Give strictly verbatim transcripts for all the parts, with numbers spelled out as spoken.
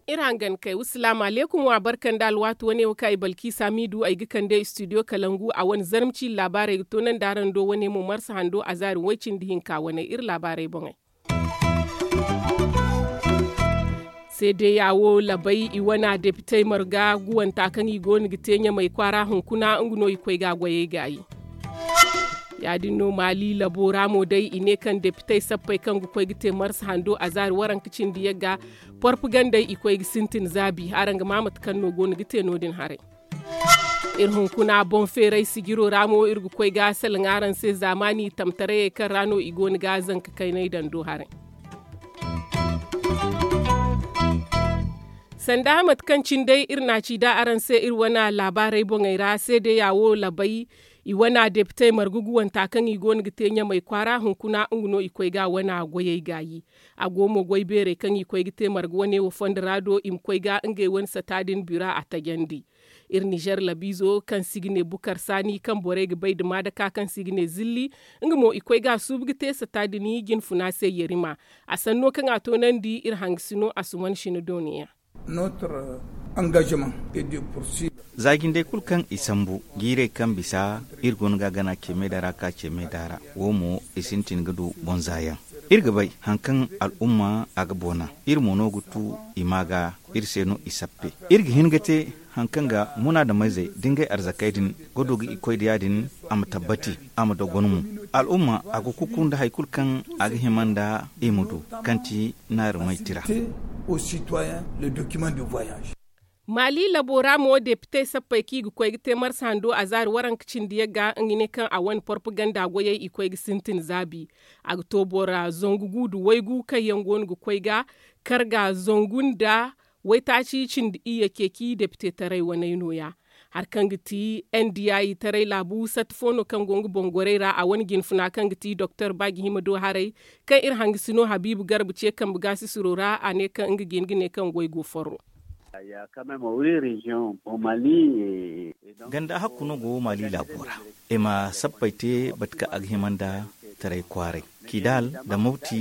Iri hangan kay wa salaamu aleykum wa barka nda alwaati wane wo kaŋ ay balkiisa m'i du ay ga kande studio kalangu a wane zarma ciiri laabaarey ga toonandi araŋ do wane mo marsa hando azaari way-cindi hinka wane iri laabaarey boŋey. Seedeya wo labay i wana depitey marga guwanta kaŋ i goono ga te ɲamay kwaara hunkuna nga no i koy ga a goyey gaayi. Ya- din no maali labo ra mo day i ne kaŋ depitey sappey kaŋ ga koy ga te marsa hando azaari waranka cindi yagga porpagandey i koy ga sintin zaabi araŋ ga ma mate kaŋ no goono ga te no- din haray. Iri hunkuna boŋ feeray sijiro ra mo iri ga koy ga salaŋ araŋ se zaamaani tamtarayey kaŋ ra no i goono ga zanka kaynay daŋ do haray. Sanda mate kaŋ cine day iri na a ci da araŋ se iri wane laabaarey boŋey ra seedeya wo labay i wane depitey marga guwanta kaŋ i goono ga te ɲamay kwaara hunkuna nga no i koy ga a wane goyey gaayi. A go mo goy beerey kaŋ i koy ga te marga wane wo fondo ra do i ma koy ga ngey wane sata din bira a tajandi. Iri nizer labiizo kaŋ se i ga ne bukar saani kaŋ borey ga bay nda maadaka kaŋ se i ga ne zilli, nga mo i koy ga a suubu ga te sata din jinfuna se yarima. A sanno kaŋ a toonandi iri hangasino a suman sina dooniya. Za jindey kulu kaŋ i sambu jiirey kaŋ bisa iri goono ga a gana ceemeeda ra ka ceemeeda ra wo mo i sintin ga du boŋ zaayaŋ. Iri ga bay hari kaŋ al'umma a ga boona iri mo no ga tu i ma ga iri se no i sappe. Iri ga hin ga te hari kaŋ ga munaadameyzey da ngey arzakey din ga du ga i koy da ya- din a ma tabbati a ma dogon mo. Al'umma a ga kuku nda hari kulu kaŋ a ga hima nda i ma du kaŋ ti naari may tira. Maali labo ra mo depitey sappey kaŋ i ga koy ga te marsa hando azaari waranka cindi yagga nga ne kaŋ a wane porpaganda goyey i koy ga sintin zaabi. A ga to bora zangu gu nda waygu kaŋ yaŋ go no ga koy ga karga zangu nda waytaaci cindi iyye ceeci depite taray waney nooya. Hari kaŋ ga ti n d i taray laabu satta fo no kaŋ go nga boŋ gorey ra a wane jinfuna kaŋ ga ti doktor ba ga hima do haray kaŋ iri hangasino habiibu garba ce kambe gaasisiro ra a ne kaŋ nga ga hin ga ne kaŋ goy go forro. Ganda hakku no go maali laabo ra i ma sappey te bate kaŋ a ga hima nda taray kwaaray kidaal nda mawti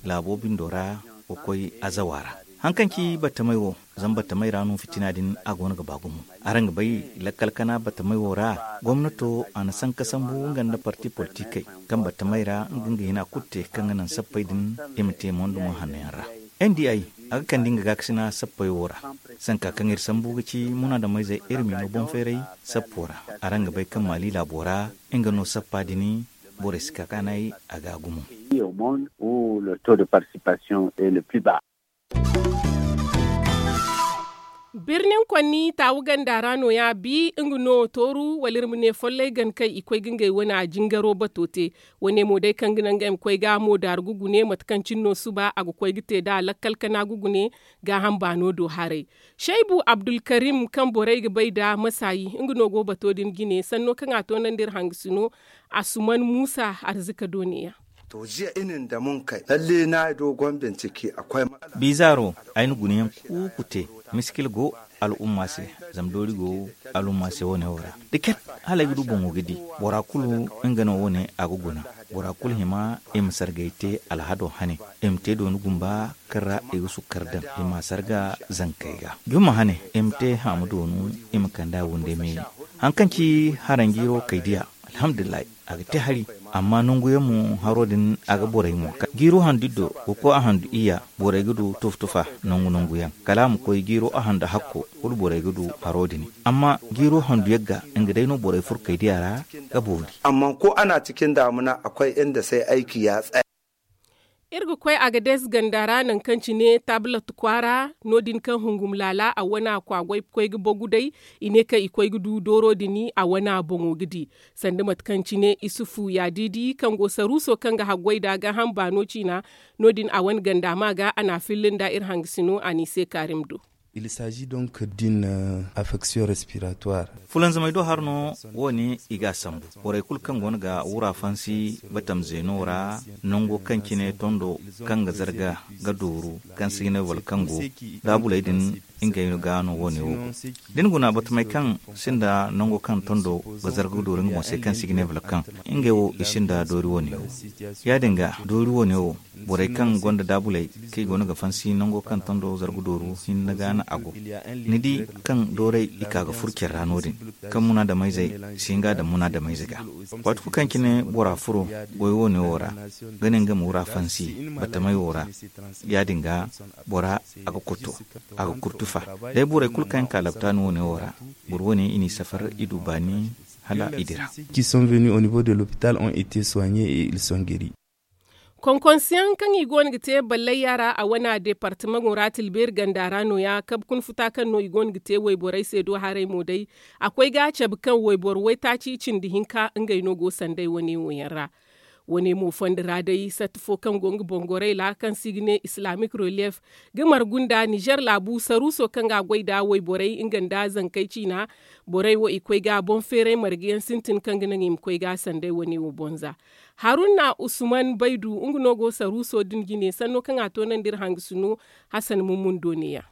laabo bindo ra ga koy azawa ra. Hari kaŋ ci battamey wo zama battamey ra no fitina din a go no ga ba gumo. Araŋ ga bay lakkal kana battamey wo ra gomnato a na sanka sambu nga nda parti politikey kaŋ battamey ra nga nga hina kulu te kaŋ ga naŋ sappey din i ma te mondumo hanno yaŋ ra. N d i a ga kande nga gaakasina sappey wo ra. Sanka kaŋ iri sambu ga ci munaadameyzey iri miino boŋ feeray sappo ra. Araŋ ga bay kaŋ maali laabo ra nga no sappa din borey si ka kaanay a ga gumo. Birnin konni taawu ganda ra nooya bi nga no tooru wala iri ma ne follay gan kaŋ i koy ga ngey wane jingaro bato te. Wane mo day kaŋ ga naŋ ngey ma koy ga mo daaru ga gune mate kaŋ cine no suba a ga koy ga te nd'a lakkal kana ga gune gaaham baano do haray. Saybu abdulkarim kaŋ borey ga bay nd'a masaayi nga no go bato din jine sanno kaŋ a toonandi iri hangasino asuman muusa arzika dooniya. To jiya i na ni damu nga kay lalle na ay do gombe ni ciki a koy ma. Biizaaro ay na gunayaŋ kuuku te miskil go al'umma se. Zama doori go al'umma se wane wo ra da ket hala ay ga du boŋo ga di bora kulu nga no wane a ga guna. Bora kulu hima i ma sargay te alhado hane i ma te dooni gumba kaŋ ra i ga sukkar daŋ i ma a sarga zankey ga jumma hane i ma te haamu doonu i ma kand'a wunde meeri. Hari kaŋ ci haranjiiro kay diya alhamdulillahi a ga te hari. Amma nangu yaŋ mo haro din a ga borey ŋwa jiiro handu iddo ga koy a handu iyya borey ga du tufa-tufa nangu nangu yaŋ kala a ma koy jiiro a handu hakko kulu borey ga du haro din. Amma jiiro handu yagga nga day no borey furkey diya ra ga boori. Amma ko a na cikin damuna akwai inda sai aiki ya tsaya. Iri ga koy agades ganda ra nangu kaŋ cine tablet kwaara no- din kaŋ hungum laala a wana kwaagway koy ga bagu day i ne kaŋ i koy ga du dooro din a wana boŋo ga di. Sanda mate kaŋ cine isufu yaadiidi kaŋ go saruuso kaŋ ga haggoy nd'a gaaham baano ciina no- din a wane ganda ma ga a na a filla nda iri hangasino a n'i se kaarim do. Fulanzamey do har no wo- ne i ga a sambu borey kulu kaŋ go no ga wura fansi batam zeeno ra nango kaŋ cine tondo kaŋ ga zarga ga dooru kaŋ si ga ne wala kaŋ go daabuley din. ngey ga no wo- ne wo go. Da ni guna batamey kaŋ sinda nango kaŋ tondo ga zarga ga dooru nga boŋ se kaŋ se i ga ne volkan, ngey wo i sinda doori wo- ne wo. Ya- din ga doori wo- ne wo, borey kaŋ gonda daabuley kaŋ i go no ga fansi nango kaŋ tondo zarga dooru hinne ga no a go. Ni di kaŋ doorey i ka ga furo care ra no- din, kaŋ munaadamayzey si hin ga a daŋ munaadamayze ga. Waati kulu kaŋ cine bora furo goy wo- ne wo ra, ga ne nga ma wura fansi batamey wo ra, ya- din ga bora a ga kurtu a ga kurtu fa. Day borey kulu kaŋ yaŋ ka laptaani wo- ne wo ra, boro wo- ne i n'i safar i du baani hala i dira. Qui sont venus au niveau de l'hôpital ont été soignés et ils sont guéris. Konkonsiyaŋ kaŋ i go no ga te ballayya ra a wane deepartamaŋo ra tilbeeri ganda ra no- ya kabe kuna futa kaŋ no i go no ga te wayborey se do haray mo day, a koy ga a cabe kaŋ wayboro waytaaci cindi hinka ngey no go sanday wane wo- yaŋ ra. Wane mo fondo ra day satti fo kaŋ go nga bongorey ra kaŋ se i ga ne islamic relief, ga margu nda nizer laabu saruuso kaŋ ga a goy nda wayborey nga nda zankey ciina. Borey wo i koy ga boŋ feeray marga yaŋ sintin kaŋ ga naŋ i ma koy ga sanday wane wo bonza. Haruna usman baydu nga no go saruuso din jine sanno kaŋ a toonandi iri hangasino. Hasan mummun do ne- ya.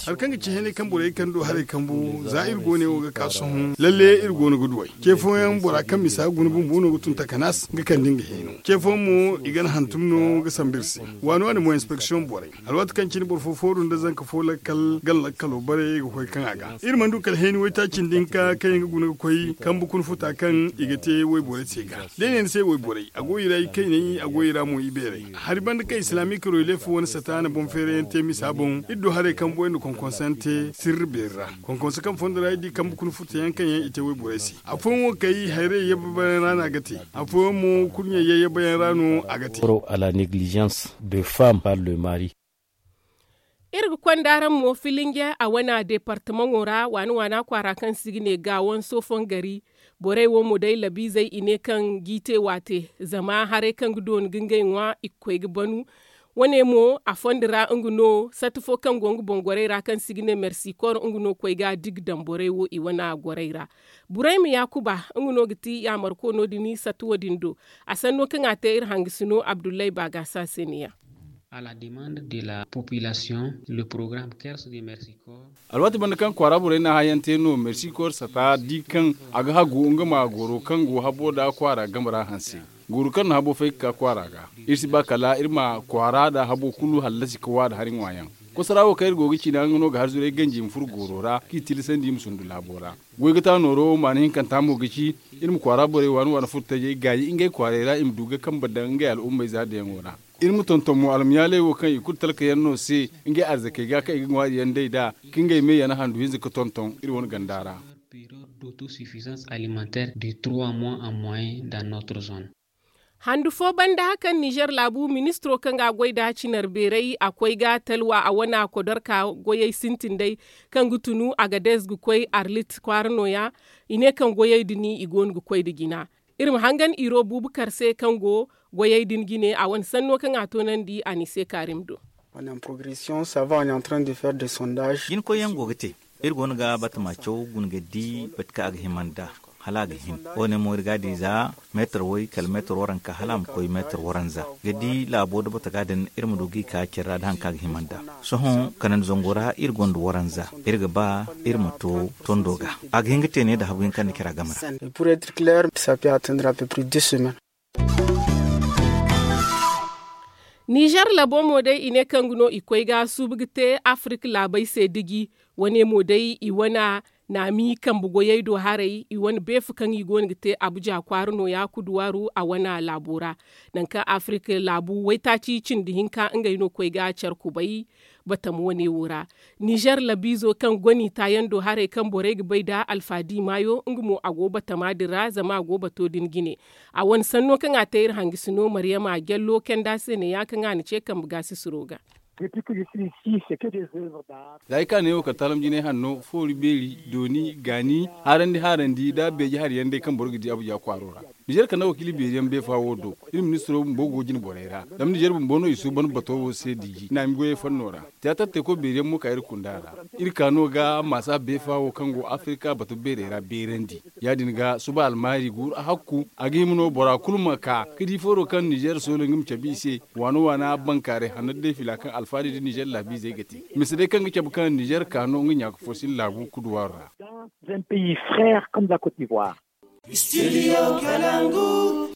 Hari kaŋ ga ci hene kaŋ borey kaŋ du haray kambu za iri go ne wo ga ka sohõ lalle iri go no ga duw'ey. Ce fooyaŋ bora kaŋ misa guna bumbo no ga tun takanas ga kande nga hino. Ce fooyaŋ mo i gana hantum no ga sambu iri se. Waani waani mo inspeksiyoŋ borey, alwaati kaŋ cine boro fo fooru nda zanka fo lakkal gana lakkalo bare ga koy kaŋ a ga iri mana du kala heeni waytaaci nda hinka kaŋ yaŋ ga guna ga koy kambu kuna futa kaŋ i ga te wayborey se ga. Da i ne ni se wayborey a go i ra i kayney a go i ra mo i beerey. Hari banda kaŋ islamic relief wane sata na boŋ feerayaŋ te misa boŋ iri du haray kambu yaŋ nda konkonso yaŋ te sirri beeri ra. Konkonso kaŋ fondo ra iri di kambu kuna futa yaŋ kaŋ yaŋ i te wayborey se. Afooyaŋ wo kay hayray yabba bayaŋ ra no a ga te. Afooyaŋ mo kurɲey yayyabayaŋ ra no a ga te. Oro à la négligence de femme par le mari. Iri ga konda araŋ mo filinge a wane deepartamaŋo ra waani waana kwaara kaŋ se i ga ne gaawaŋ soofon gari. Borey wo mo day labiizey i ne kaŋ g'i te waate zama haray kaŋ ga dooni ga ngey ŋwa i ga koy ga banu. Wane mo a fondo ra nga no satti fo kaŋ go nga boŋ gorey ra kaŋ se i ga ne mersikor nga no koy ga digi daŋ borey wo i wane gorey ra. Burayma yaakuba nga no ga ti yaamarko no- din satti wo- din do. A sanno kaŋ a te iri hangasino abdullahi baagasa se ne- ya. Alwaati banda kaŋ kwaara borey na hayaŋ te no mersikor sata di kaŋ a ga hagu nga ma goro kaŋ go habo nda kwaara game ra hanse. Goro kaŋ na habo fay ga ka kwaara ga iri si ba kala iri ma kwaara nda habo kulu hallasi ga wa nda hari ŋwaayaŋ. Kosara wo kaŋ iri go ga ciina nga no ga harzuray ganji ma furo goro ra kaŋ i tilasandi i ma sundu laabo ra. Goy ga ta nooro maana hinkanta mo ga ci iri ma kwaara borey waani waani furo tajey gaayi ngey kwaaray ra i ma du ga kambe daŋ ngey al'ummey za dayaŋo ra. Iri ma tonton mo almiyaaley wo kaŋ i kulu talkayaŋ no se ngey arzakey ga kaŋ i ga ŋwaari yaŋ day nd'a ka ngey me yana handu hinza ga tonton iri wane ganda ra. Handu fo banda kaŋ nizer laabu ministiro kaŋ ga a goy nda cinar beeray a koy ga talwa a wane kodorka goyey sintin day kaŋ ga tunu a ga dees ga koy arlit kwaara no- ya. I ne kaŋ goyey din i go no ga koy nda jina. Iri ma hangan iro buubu kar se kaŋ go goyey din jine a wane sanno kaŋ a toonandi a n'i se kaarim do. Jina koyyaŋ go ga te. Iri go no ga batama caw guna ga di bate kaŋ a ga hima nd'a hala a ga hin. Wo- ne mo iri ga a di za meetar way kala meetar waranka hala a ma koy meetar waranza ga di laabo nda bata ga din iri ma du g'i ka care ra nda hari kaŋ a ga hima nd'a. Sohõ kanandi zango ra iri gonda waranza. Iri ga ba iri ma to tondo ga a ga hin ga te ne nda habu yaŋ kaŋ ni care a game ra. Nizer labo mo day i ne kaŋ ga no i koy ga suubu ga te afirik laabey se diji. Wane mo day i wane naami kambe goyey do haray i wane beefa kaŋ i go no ga te abuja kwaara no- ya kuduwaaru a wane laabo ra. Nangu kaŋ afirik laabu waytaaci cindi hinka ngey no koy ga care kubay. Batama wane wo ra nizer labiizo kaŋ goni taayaŋ do haray kaŋ borey ga bay nda alfaadi maayo nga mo a go batama din ra zama a go bato din jine. A wane sanno kaŋ a te iri hangasino maryama jallo kanda se ne- ya kaŋ a na ce kambe gaasisiro ga. Za ay ka ne wo kala taalam jinay hanno foori beeri dooni gaani haarandi haarandi nda beeje hari yaŋ day kaŋ boro ga di abuja kwaaro ra. Nizer kande wakiili beeri yaŋ beefa wo do. Iri ministiro bumbo go jine borey ra. Zama nizer bumbo no i suuban bato wo se diiji naami goyey fanno ra. Tiyaatar teeko beeri yaŋ mo ka iri kunda ra. Iri ka no ga maasa beefa wo kaŋ go afirika bato beerey ra beerandi. Ya- din ga suba almaari guuru a hakku a ga hima no bora kulu ma ka ga di fooro kaŋ nizer soolo nga ma cabe i se. Waana waana bankaaray hanno day fila kaŋ alfaari nda nizer laabiizey ga te. Mise day kaŋ ga cabe kaŋ nizer ka no nga ɲaaka fo si ni laabu kuduwaaro ra.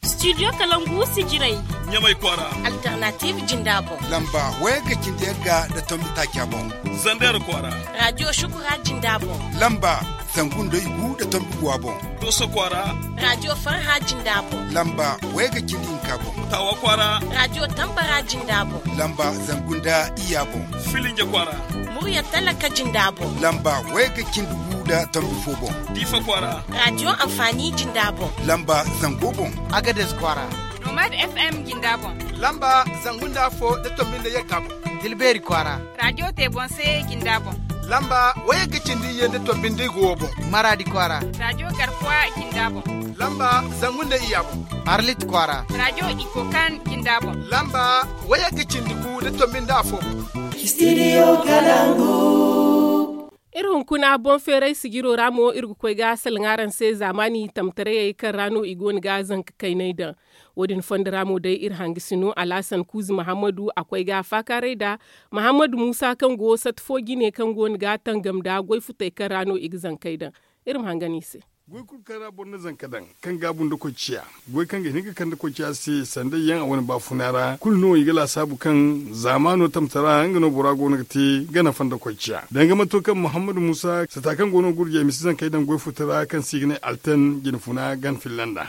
Studio kalangu si jiray. Ɲamay kwaara. Alternative jinda boŋ. Lamba wayagga cindi yagga nda tombi taaca boŋ. Zander kwaara. Radio shukura jinda boŋ. Lamba zangu nda igu nda tombi guwa boŋ. Doso kwaara. Radio farha jinda boŋ. Lamba wayagga cindi hinka boŋ. Tawa kwaara. Radio tambara jinda boŋ. Lamba zangu nda iyya boŋ. Filinja kwaara. Murya talaka jinda boŋ. Lamba wayagga cindi gu nda tombi fo boŋ. Diifa kwaara. Radio amfani jinda boŋ. Lamba zango boŋ. Agades kwaara. Nomad fm jinda boŋ. Lamba zangu nda afo nda tombi nda yagga boŋ. Tilbeeri kwaara. Radio te boŋ se jinda boŋ. Lamba wayagga cindi iyye nda tombi nda igu wo boŋ. Maradi kwaara. Radio garkuwa jinda boŋ. Lamba zangu nda iyya boŋ. Arlit kwaara. Radio ikokan jinda boŋ. Lamba wayagga cindi gu nda tombi nda afo boŋ. Studio kalangu. Iri hunkuna boŋ feeray sijiro ra mo iri ga koy ga salaŋ araŋ se zaamaani tamtarayey kaŋ ra no i go no ga zanka kaynay daŋ. Wo- din fondo ra mo day iri hangasino alhasan kuuzi mahammadu a koy ga faakaaray nda mahammadu muusa kaŋ go sata fo jine kaŋ go no ga tangam nda goy futey kaŋ ra no i ga zankey daŋ. Iri ma hangan i se. Goy kulu kaŋ ra boro na zanka daŋ kaŋ gaabu nda koy ciya, goy kaŋ ga hin ga kande koy ciya se sanday yaŋ a wane baafuna ra kulu no i ga laasaabu kaŋ zaamaano tamtara nga no bora go no ga te gana fanda koy ciya danga manto kaŋ muhammadu muusa sata kaŋ go no gurjey ma si zankey daŋ goy futa ra kaŋ se i ga ne alten jine funa gan filla nd'a.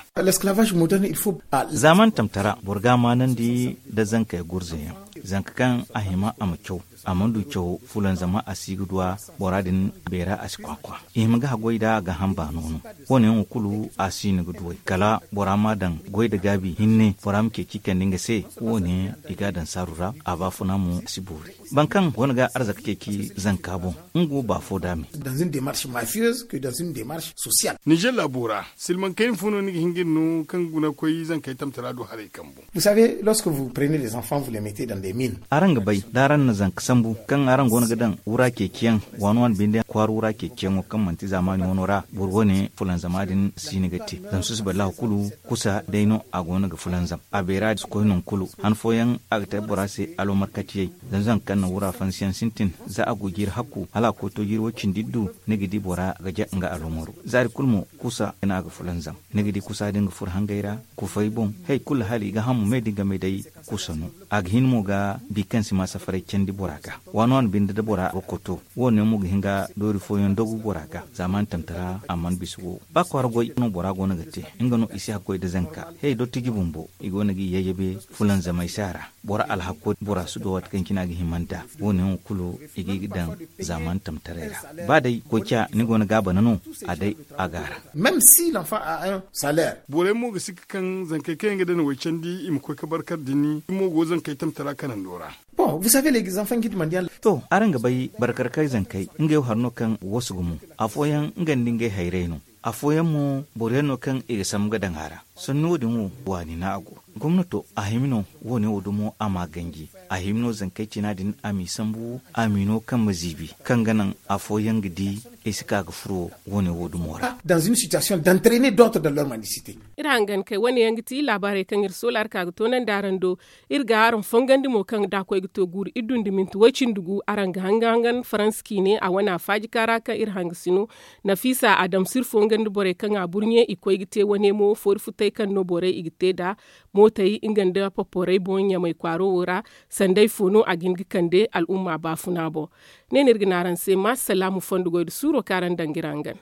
Zaaman tamtara boro ga a maanandi nda zankey gurze yaŋ, zanka kaŋ a hima a ma caw a mana du caw fulanzama a si ga du a bora din beera a si kwakwa. I hima ga haggoy nd'a ga hamba no no. Wo- ne yaŋo kulu a si no ga duw'ey kala bora ma a daŋ goy nda gaabi hinne bora ma ceeci kande nga se. Wo- ne i ga a daŋ saaru ra a baafuna mo a si boori. Boro kaŋ go no ga arzaka ceeci zanka boŋ nga wo ba fo da me. Dans une démarche mafieuse que dans une démarche sociale. Nizer laabo ra silmaŋ kayna fo no ni ga hin ga iri no kaŋ ga guna ga koy zankey tamtara do haray kambu. Vous savez lorsque vous prenez des enfants vous les mettez dans des mines. Araŋ ga bay da araŋ na zanka sambu kaŋ araŋ go no ga daŋ wura ceeciyaŋ waani waani binde kwaara wura ceeciyaŋo kaŋ manti zaamaani wano ra boro wo- ne fulanzama din si ni ga te zama susubay laahu kulu kusa day no a go no ga fulanzam. A beera si koy nangu kulu han fooyaŋ a ga te bora se alomarkatiyey. Zama zanka kaŋ na wura fansiyaŋ sintin za a go jiiri hakku hala a koy to jiiri way-cindi iddu ni ga di bora ga ja nga alomaro zaari kulu mo kusa no a ga fulanzam. Ni ga di kusa din ga furo hangey ra kufey boŋ. Hay kulu hala i ga hamu me da i game day kusa no. A ga hin mo ga bi kaŋ si ma safaray candi bora ga waani waani binde da bora ga koto. Wo- ne mo ga hin ga doori fooyaŋ dogu bora ga zaamaani tamtara a mana bisa wo ba kwaara goy no bora go no ga te. Nga no i si hakkoy nda zanka he dottiji bumbo i go no ga i yayyabe fulanzamay se a ra. Bora alhakko bora si do waati kaŋ cine a ga hima nd'a. Wo- ne yaŋo kulu i ga i ga daŋ zaamaani tamtaray ra. Ba day koy ciya ni go no ga a bana no a day a ga a ra. Même si l'enfant a un salaire. Borey mo ga si ga kaŋ zankey kaŋ yaŋ ga daŋ way candi i ma koy ga barkar dini i mo go zankey tamtara kanando ra. Bon vous savez les enfants guide mondial. To araŋ ga bay barkar kay zankey ngey wo hari no kaŋ wasu gumo. Afooyaŋ nga nda ngey hayrey no. Afooyaŋ mo boro yaŋ no kaŋ i ga sambu ga daŋ a ra. Sanni wo- din wo waani no a go. Gomnato a hima no wo- ne wo dumo a ma ganji. A hima no zankey cina din a m'i sambu a m'i no kaŋ ma ziibi kaŋ ga naŋ afooyaŋ ga di i si ka ga furo wo- ne wo- dumo ra. Dans une situation d'entraîner d'autres dans leur mendicité. Iri hangan kay wane yaŋ ga ti laabaarey kaŋ iri soola iri ka ga toonandi araŋ do. Iri ga araŋ fongandi mo kaŋ da a koy ga to guuru iri dundi minti way-cindi gu araŋ ga hangan-hangan faransa ciine a wane a faaji kaara kaŋ iri hangasino. Nafiisa a dam si iri fongandi borey kaŋ a burɲe i koy ga te wane mo foori futey kaŋ no borey i ga te nd'a mootey nga nda poporey boŋ ɲamay kwaaro wo ra. Sanday fo no a ga hin ga kande al'umma baafuna boŋ. Ne no iri ga ne araŋ se ma salaamu fondo goy nda suuro kaŋ araŋ daŋ ga iri hangan.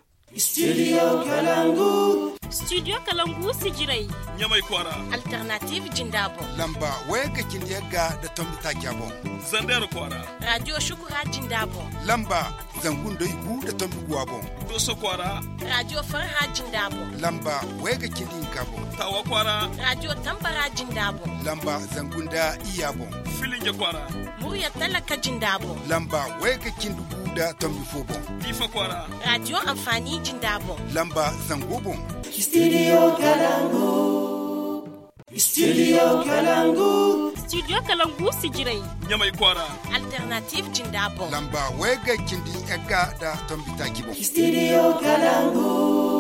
Studio kalangu sijiray ɲamay kwaara. Alternative jinda boŋ lamba wayagga cindi yagga nda tombi taaca boŋ. Zander kwaara. Radio shukura jinda boŋ lamba. Zangu nda i gu nda tombi guwa boŋ. Dooso kwaara. Raadiyo farha jinda boŋ. Lamba wayga cindi hinka boŋ. Taawa kwaara. Raadiyo tambara jinda boŋ. Lamba zangu nda iyya boŋ. Filinje kwaara. Murya talaka jinda boŋ. Lamba wayga cindi gu nda tombi fo boŋ. Diifa kwaara. Raadiyo anfaani jinda boŋ. Lamba zango boŋ. Studio kalangu. Studio kalangu. Studio kalangu si jirai. Ɲamay kwaara. Alternative jinda boŋ. Lamba wayga cindi egga nda tombi taaci boŋ. Studio kalangu.